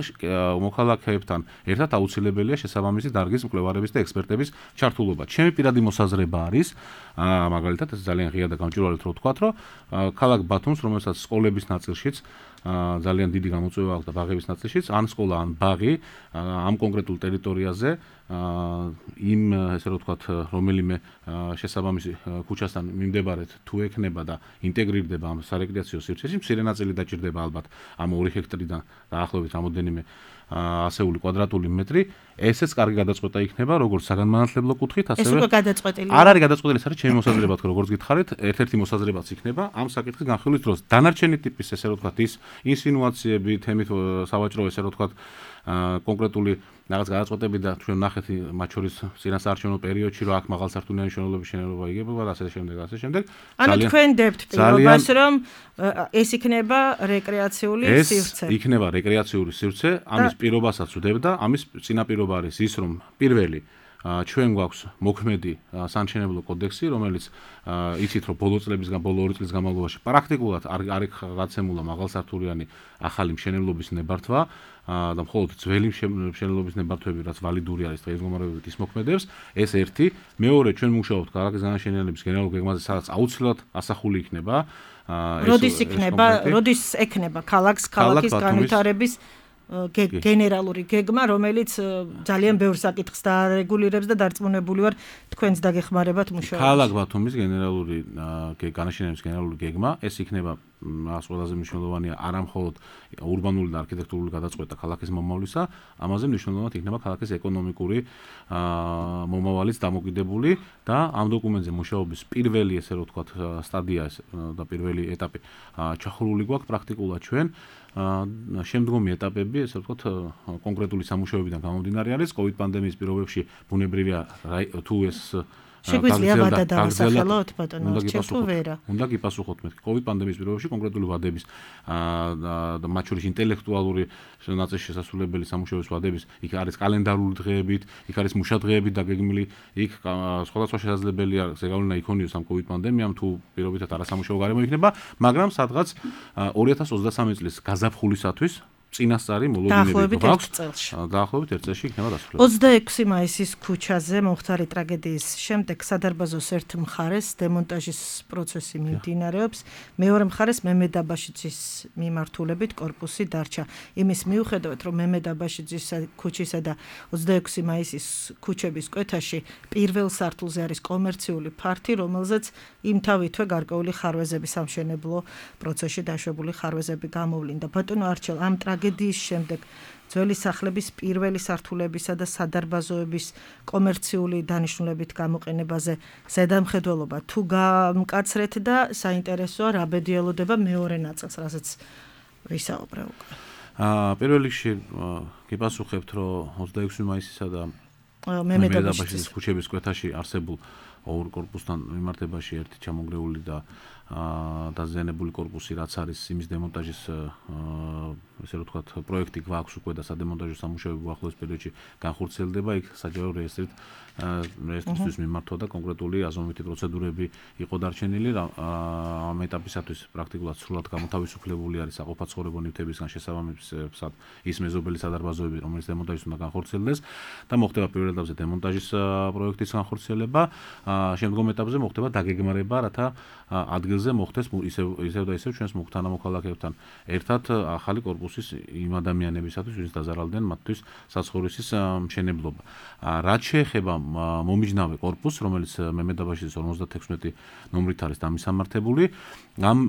მოქალაქეებთან ერთად აუცილებელია შესაბამისი დარგის მკვლევარების და ექსპერტების ჩართულობა. ჩემი პირადი მოსაზრება არის, მაგალითად, ეს ძალიან ღია და გამჭვირვალედ რო ვთქვათ, რომ ქალაქ ბათუმს, რომელსაც სკოლების ნაწილშიც ძალიან დიდი გამოწვევა აქვს და ბაღების ნაწილშიც, ან სკოლა, ან ბაღი ამ კონკრეტულ ტერიტორიაზე იმ ესე რომ ვთქვათ, რომელიმე შესაბამისი ქუჩასთან მიმდებარედ თუ ექნება და ინტეგრირდება ამ სარეკრეაციო სივრცეში, მცირე ნაწილი დაჭირდება ალბათ ამ 2 ჰექტარიდან დაახლოებით რამოდენიმე ასეული კვადრატული მეტრი, ესეც კარგი გადაწყვეტა იქნება, როგორც საგანმანათლებლო კუთხით, ასევე ეს უკვე გადაწყვეტილია. არ არის გადაწყვეტილი, ეს არის ჩემი მოსაზრება, როგორც გითხარით, ერთ-ერთი მოსაზრებაც იქნება ამ საკითხის განხილვის დროს. დანარჩენი ტიპის ესე რომ ვთქვათ, ის ინსინუაციები, თემით სავაჭრო ესე რომ ვთქვათ, კონკრეტული რაღაც გადაწყვეტები და ჩვენ ნახეთ მათ შორის წინასაარჩევნო პერიოდში, რომ აქ მაღალსართულიანი მშენებლობის შენელობა იგებება და ასე შემდეგ. ანუ თქვენ დებთ პირობას, რომ ეს იქნება რეკრეაციული სივრცე. ეს იქნება რეკრეაციული სივრცე, ამის პირობასაც ვდებ და ამის წინაპირობა არის ის, რომ პირველი ჩვენ გვაქვს მოქმედი სამშენებლო კოდექსი, რომელიც იცით რომ ბოლო 2 წლის განმავლობაში პრაქტიკულად არ გაცემულა მაღალსართულიანი ახალი მშენებლობის ნებართვა და მხოლოდ ძველი მშენებლობის ნებართვები რაც ვალიდური არის დღეს მდგომარეობით ის მოქმედებს, ეს ერთი, მეორე ჩვენ მუშაობთ ქალაქის განაშენიანების გენერალურ გეგმაზე, სადაც აუცილებლად ასახული იქნება როდის ექნება ქალაქის განვითარების გენერალური გეგმა, რომელიც ძალიან ბევრ საკითხს დაარეგულირებს და დარწმუნებული ვარ თქვენს დაგეხმარებათ მუშაობაში. ქალაქ ბათუმის გენერალური განაშენიანების გენერალური გეგმა, ეს იქნება მას ყველაზე მნიშვნელოვანია არა მხოლოდ ურბანული და არქიტექტურული გადაწყვეტა ქალაქის მომავლისა, ამაზე მნიშვნელოვნად იქნება ქალაქის ეკონომიკური მომავალიც დამოკიდებული და ამ დოკუმენტზე მუშაობის პირველი, ესე რომ ვთქვათ, სტადია და პირველი ეტაპი ჩახურული გვაქვს პრაქტიკულად ჩვენ. შემდგომი ეტაპები, ესე ვთქვათ, კონკრეტული სამუშაოებიდან გამომდინარე არის COVID პანდემიის პირობებში ბუნებრივია თუ ეს შეგვიძლია ვადა დავასახელოთ ბატონო, ჩემთუ ვერა. უნდა გიპასუხოთ მე. COVID პანდემიის პირობებში კონკრეტული ვადების და მათ შორის ინტელექტუალური ნაწილში შესასრულებელი სამუშაოების ვადების, იქ არის კალენდარული დღეებით, იქ არის მუშადღეებით დაგეგმილი, იქ სხვადასხვა შესაძლებელია ზეგავლენა იქონიოს ამ COVID პანდემიამ თუ პირობითად არასამუშაო გარემო იქნება, მაგრამ სადღაც 2023 წლის გაზაფხულისათვის წინასწარი მოლოდინები გვაქვს. დაახლოებით 1 წელში იქნება დასრულებული. 26 მაისის ქუჩაზე მომხდარი ტრაგედიის შემდეგ სადარბაზოს ერთ მხარეს დემონტაჟის პროცესი მიმდინარეობს, მეორე მხარეს მემედ აბაშიძის მიმართულებით კორპუსი დარჩა. იმის მიუხედავად, რომ მემედ აბაშიძის ქუჩისა და 26 მაისის ქუჩების კვეთაში პირველ სართულზე არის კომერციული ფართი, რომელზეც იმთავითვე გარკვეული ხარვეზები სამშენებლო პროცესში დაშვებული ხარვეზები გამოვლინდა. ბატონო არჩელ, ამ ტრაგედიის შემდეგ ძველი სახლების პირველი სართულებისა და სადარბაზოების კომერციული დანიშნულებით გამოყენებაზე ზედამხედველობა თუ გამკაცრეთ და საინტერესოა რა ბედი ელოდება მეორე ნაწილს, რასაც ვისაუბრე უკვე. პირველ რიგში გიპასუხებთ, რომ 26 მაისისა და მემედ აბაშიძის ქუჩების კვეთაში არსებულ ორ კორპუსთან მიმართებაში ერთი ჩამონგრეული და დაზიანებული კორპუსი, რაც არის იმის დემონტაჟის ესე რომ ვთქვათ, პროექტი გვაქვს უკვე და სადემონტაჟო სამუშაოები ახლოს პერიოდში განხორციელდება, იქ საჯარო რეესტრისთვის მიმართვა და კონკრეტული აზომვითი პროცედურები იყო დარჩენილი. ამ ეტაპისათვის პრაქტიკულად სრულად გამოთავისუფლებული არის საყოფაცხოვრებო ნივთებისგან შესაბამისად ის მეზობელი სადარბაზოები, რომელიც დემონტაჟის უნდა განხორციელდეს და მოხდება პირველ ეტაპზე დემონტაჟის პროექტის განხორციელება, შემდგომ ეტაპზე მოხდება დაგეგმარება, რათა ადგილზე მოხდეს ისევ და ისევ ჩვენს თანამოქალაქეებთან ერთად ახალი კორპუსის იმ ადამიანებისათვის, ვინც დაზარალდნენ მათთვის საცხოვრისის მშენებლობა. რაც შეეხება მომიჯნავე კორპუსს, რომელიც მემედ აბაშიძის 56 ნომრით არის დამისამართებული, ამ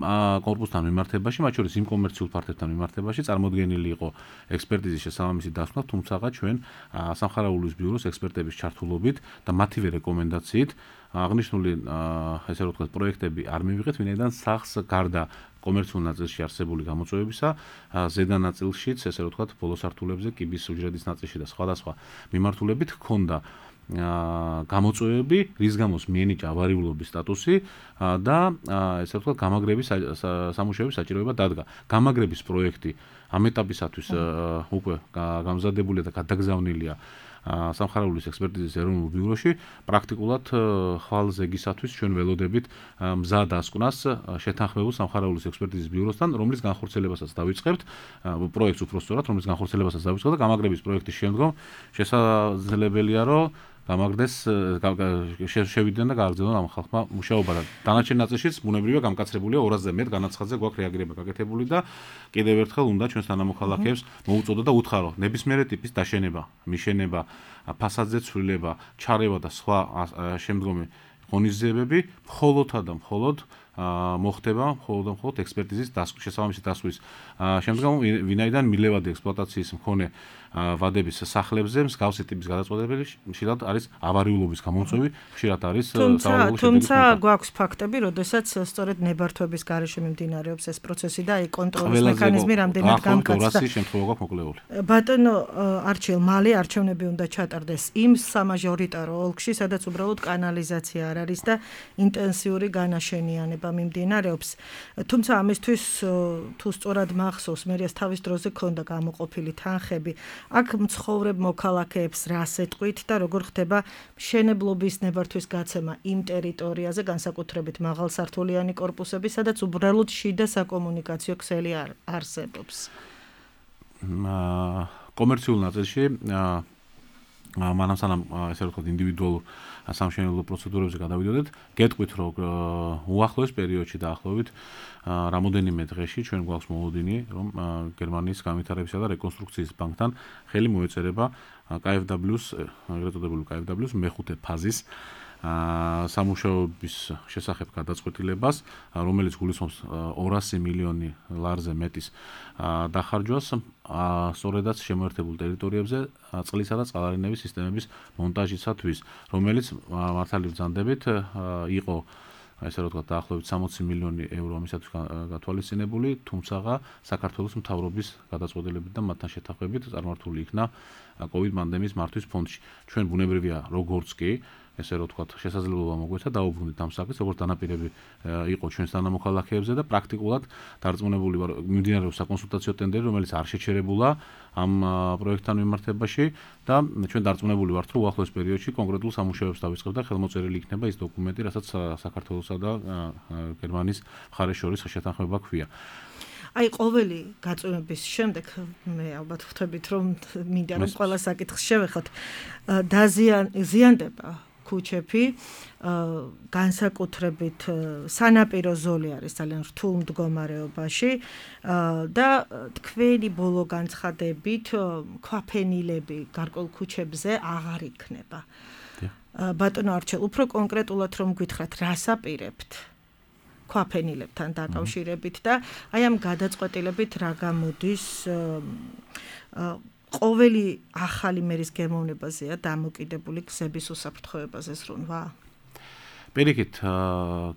კორპუსთან მიმართებაში, მათ შორის იმ კომერციულ ფართებთან მიმართებაში წარმოდგენილი იყო ექსპერტიზის შესაბამისი დასკვნა, თუმცა ჩვენ სამხარაულოს ბიუროს ექსპერტების ჩართულობით და მათივე რეკომენდაციით აღნიშნული ესე რომ ვთქვათ პროექტები არ მივიღეთ, ვინაიდან სახს გარდა კომერციულ ნაწილში არსებული გამოწვევებისა, ზედა ნაწილშიც ესე რომ ვთქვათ ბოლო სართულებზე კიბის უჯრედის ნაწილში და სხვადასხვა მიმართულებით ჰქონდა გამოწვევები, რის გამოც მიენიჭა ავარიულობის სტატუსი და ესე რომ ვთქვათ გამაგრების სამუშაოების საჭიროება დადგა. გამაგრების პროექტი ამ ეტაპისათვის უკვე გამზადებულია და გადაგზავნილია სამხარაულოს ექსპერტიზის ეროვნულ ბიუროში. პრაქტიკულად ხვალ ზეგისათვის ჩვენ ველოდებით მზა დასკვნას შეთანხმებულ სამხარაულოს ექსპერტიზის ბიუროსთან, რომლის განხორციელებასაც დავიწყებთ, პროექტს უпростоრად, რომლის განხორციელებასაც დავიწყებთ და გამაგრების პროექტის შემდგომ შესაძლებელია, რომ გამაგრდეს შევიდნენ და გააგრძელონ ამ ხალხმა მუშაობა და დანარჩენ ნაწილშიც ბუნებრივია გამკაცრებულია 200-ზე მეტ განაცხადზე გვაქვს რეაგირება გაკეთებული და კიდევ ერთხელ უნდა ჩვენს თანამოქალაქეებს მოუწოდო და უთხრა, რომ ნებისმიერი ტიპის დაშენება, მიშენება, ფასადზე ცვლილება, ჩარევა და სხვა შემდგომი ღონისძიებები მხოლოდ და მხოლოდ მოხდება მხოლოდ ექსპერტიზის შესაბამისი დასკვნის შემდგომ, ვინაიდან მილევადი ექსპლუატაციის მქონე ვადების სახლებზე მსგავსი ტიპის გადაწყვეტილება ხშირად არის ავარიულობის გამოწვევი, ხშირად არის საავადმყოფო თუმცა გვაქვს ფაქტები, როდესაც სწორედ ნებართვების გარეშე მიმდინარეობს ეს პროცესი და კონტროლის მექანიზმი რამდენად გამკაცდა. შემთხვევა გვაქვს მოკლეული. ბატონო არჩილ, მალე არჩევნები უნდა ჩატარდეს იმ სამაჟორიტარო ოლქში, სადაც უბრალოდ კანალიზაცია არ არის და ინტენსიური განაშენიანება მიმდინარეობს. თუმცა ამისთვის თუ სწორად მახსოვს, მერიას თავის დროზე ქონდა გამოყოფილი თანხები, აქ მცხოვრებ მოქალაქეებს რას ეტყვით და როგორ ხდება მშენებლობის ნებართვის გაცემა იმ ტერიტორიაზე, განსაკუთრებით მაღალსართულიანი კორპუსები, სადაც უბრალოდ შიდა საკომუნიკაციო ქსელი არსებობს. კომერციულ ნაწილში მანამ სანამ ესე ვთქვათ ინდივიდუალურ სამშენებლო პროცედურებზე გადავიდოდეთ, გეტყვით რომ უახლოეს პერიოდში დაახლოებით რამოდენიმე დღეში ჩვენ გვაქვს მოლოდინი, რომ გერმანიის განვითარებისა და რეკონსტრუქციის ბანკთან ხელი მოეწერება KfW-ს, ეგრეთ წოდებული KfW-ს მეხუთე ფაზის სამუშაოების შესახებ გადაწყვეტილებას, რომელიც გულისხმობს 200 მილიონი ლარზე მეტის დახარჯვას, სწორედაც შემოერთებულ ტერიტორიებზე წყლისა და წყალარინების სისტემების მონტაჟისათვის, რომელიც მართალი ბრძანდებით იყო ესე რომ ვთქვათ დაახლოებით 60 მილიონი ევრო ამისათვის გათვალისწინებული, თუმცა საქართველოს მთავრობის გადაწყვეტილებით და მათთან შეთანხმებით წარმართული იქნა COVID პანდემიის მართვის ფონდში. ჩვენ ბუნებრივია როგორც კი ესე რომ ვთქვათ შესაძლებლობა მოგვეცა დაუბრუნდით ამ საკითხს, როგორც დანაპირები იყო ჩვენს თანამოქალაქეებზე და პრაქტიკულად დარწმუნებული ვარ, მიმდინარეობს საკონსულტაციო ტენდერი, რომელიც არ შეჩერებულა ამ პროექტთან მიმართებაში და ჩვენ დარწმუნებული ვართ, რომ უახლოეს პერიოდში კონკრეტულ სამუშაოებს დავიწყებ და ხელმოწერილი იქნება ის დოკუმენტი, რასაც საქართველოსა და გერმანიის მხარეს შორის შეთანხმება ჰქვია. აი ყოველი გაწვევების შემდეგ მე ალბათ ვხვდებით რომ მინდა რომ ყველა საკითხს შევეხოთ ზიანდება ქუჩები განსაკუთრებით სანაპირო ზოლი არის ძალიან რთულ მდგომარეობაში და თქვენი ბოლო განცხადებით ქვაფენილები გარკვეულ ქუჩებზე აღარ იქნება. ბატონო არჩელ, უფრო კონკრეტულად რომ გითხრათ, რას აპირებთ ქვაფენილებთან დაკავშირებით და აი ამ გადაწყვეტილებით რა გამოდის ყოველი ახალი მერის გემოვნებაზეა დამოკიდებული გზების უსაფრთხოებაზე სრუნვა? პირიქით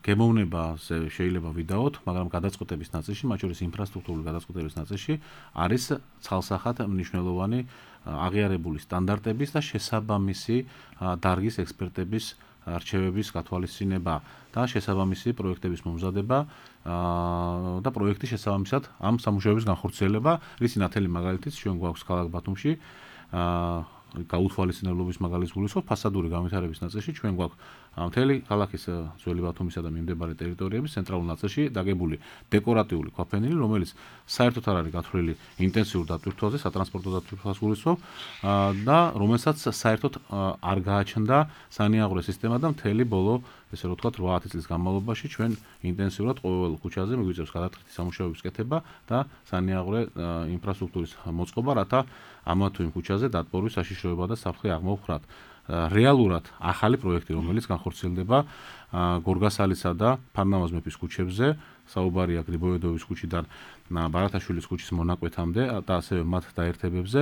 გემოვნებაზე შეიძლება ვიდაოთ, მაგრამ გადაწყვეტების ნაწილში, მათ შორის ინფრასტრუქტურული გადაწყვეტების ნაწილში არის ცალსახად მნიშვნელოვანი აღიარებული სტანდარტების და შესაბამისი დარგის ექსპერტების არჩევების გათვალისწინება და შესაბამისი პროექტების მომზადება და პროექტის შესაბამისად ამ სამუშაოების განხორციელება, რის ნათელი მაგალითიც ჩვენ გვაქვს ქალაქ ბათუმში გაუთვალისწინებლობის მაგალითს გულისხმობ ფასადური განვითარების ნაწილში ჩვენ გვაქვს მთელი ქალაქის ძველი ბათუმისა და მიმდებარე ტერიტორიების ცენტრალურ ნაწილში დაგებული დეკორატიული ქვაფენილი, რომელიც საერთოდ არ არის გათვლილი ინტენსიურ დატვირთვაზე, სატრანსპორტო დატვირთვას გულისხმობ და რომელსაც საერთოდ არ გააჩნდა სანიაღვრე სისტემა და მთელი ბოლო ესე რომ ვთქვათ 8 წლის განმავლობაში ჩვენ ინტენსიურად ყოველ ქუჩაზე მიგვიწევს გადატვირთვის სამუშაოების კეთება და სანიაღვრე ინფრასტრუქტურის მოწყობა, რათა ამა თუ იმ ქუჩაზე დატბორვის საშიშროება და საფრთხე აღმოვხრათ. რეალურად ახალი პროექტი, რომელიც განხორციელდება გორგასალისა და ფარნავაზ მეფის ქუჩებზე, საუბარია გრიბოედოვის ქუჩიდან ბარათაშვილის ქუჩის მონაკვეთამდე და ასევე მათ დაერთებებზე,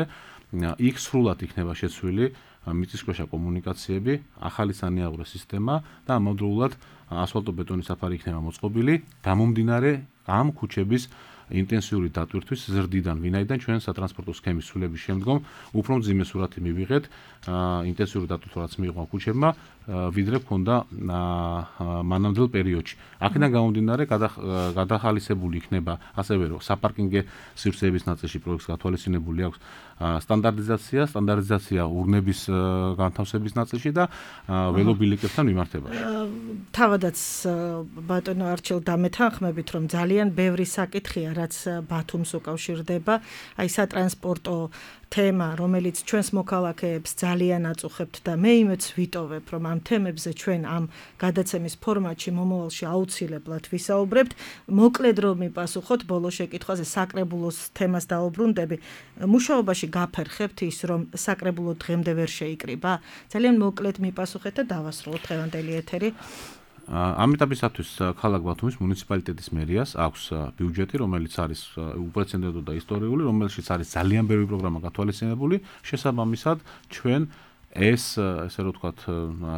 იქ სრულად იქნება შეცვლილი მიწისქვეშა კომუნიკაციები, ახალი სანიაღვრე სისტემა და ამავდროულად ასფალტო-ბეტონის საფარი იქნება მოწყობილი, გამომდინარე ამ ქუჩების ინტენსიური დატვირთვის ზრდიდან, ვინაიდან ჩვენ სატრანსპორტო სქემის ცვლილების შემდგომ უფრო მძიმე სურათი მივიღეთ ინტენსიური დატვირთვა რაც მიიღო ქუჩებმა, ვიდრე ჰქონდა მანამდელ პერიოდში. აქედან გამომდინარე გადახალისებული იქნება ასევე რომ საპარკინგე სივრცეების ნაწილში პროექტს გათვალისწინებული აქვს სტანდარტიზაცია ურნების განთავსების ნაწილში და ველობილიკებთან მიმართებაში. თავადაც ბატონო არჩელ დამეთანხმებით, რომ ძალიან ბევრი საკითხია, რაც ბათუმს უკავშირდება, აი სატრანსპორტო თემა, რომელიც ჩვენს მოქალაქეებს ძალიან აწუხებთ და მე იმედს ვიტოვებ, რომ ამ თემებზე ჩვენ ამ გადაცემის ფორმატში მომავალში აუცილებლად ვისაუბრებთ. მოკლედ რომ მიპასუხოთ ბოლო შეკითხვაზე, საკრებულოს თემას დაუბრუნდები. მუშაობაში გაფერხებთ ის, რომ საკრებულო დღემდე ვერ შეიკრიბა? ძალიან მოკლედ მიპასუხეთ და დავასრულოთ დღევანდელი ეთერი. ამ ეტაპისათვის ქალაქ ბათუმის მუნიციპალიტეტის მერიას აქვს ბიუჯეტი, რომელიც არის უპრეცედენტო და ისტორიული, რომელშიც არის ძალიან ბევრი პროგრამა გათვალისწინებული, შესაბამისად ჩვენ ეს ესე რომ ვთქვათ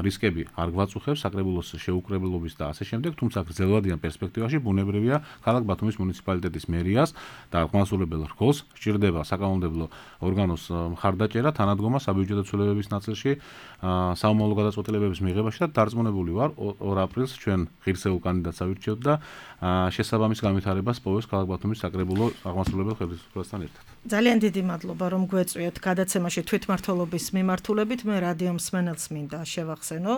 რისკები არ გვაწუხებს საკრებულოს შეუკრებლობის და ასე შემდეგ, თუმცა გრძელვადიან პერსპექტივაში ბუნებრივია ქალაქ ბათუმის მუნიციპალიტეტის მერიას და აღმასრულებელ რგოლს სჭირდება საკანონმდებლო ორგანოს მხარდაჭერა, თანადგომა საბიუჯეტო ცვლილებების ნაწილში, საომავლო გადაწყვეტილებების მიღებაში და დარწმუნებული ვარ 2 აპრილს ჩვენ ღირსეულ კანდიდატს ავირჩიოთ და შესაბამის განვითარებას პოვებს ქალაქ ბათუმის საკრებულო აღმასრულებელ ხელისუფლებასთან ერთად. ძალიან დიდი მადლობა რომ გვეწვიოთ გადაცემაში თვითმმართველობის მიმართულებით. მე რადიო მსმენელს მინდა შევახსენო.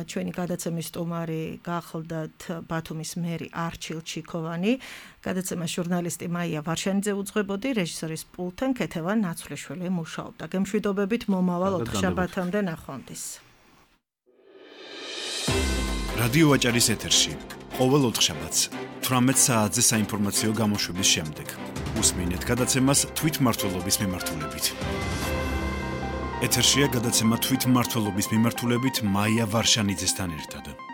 ჩვენი გადაცემის სტუმარი გახლდათ ბათუმის მერი არჩილ ჩიქოვანი. გადაცემას ჟურნალისტი მაია ვარშანიძე უძღვებოდი, რეჟისორის პულტენ ქეთევან ნაცვლიშვილი მუშაობდა. გემშვიდობებით მომავალ ოთხშაბათამდე ნახვამდის. რადიო ვაჭარის ეთერში ყოველ ოთხშაბათს 18 საათზე საინფორმაციო გამოშვების შემდეგ უსმინეთ გადაცემას თვითმმართველობის მიმართულებით. ეთერშია გადაცემა თვითმმართველობის მიმართულებით მაია ვარშანიძესთან ერთად.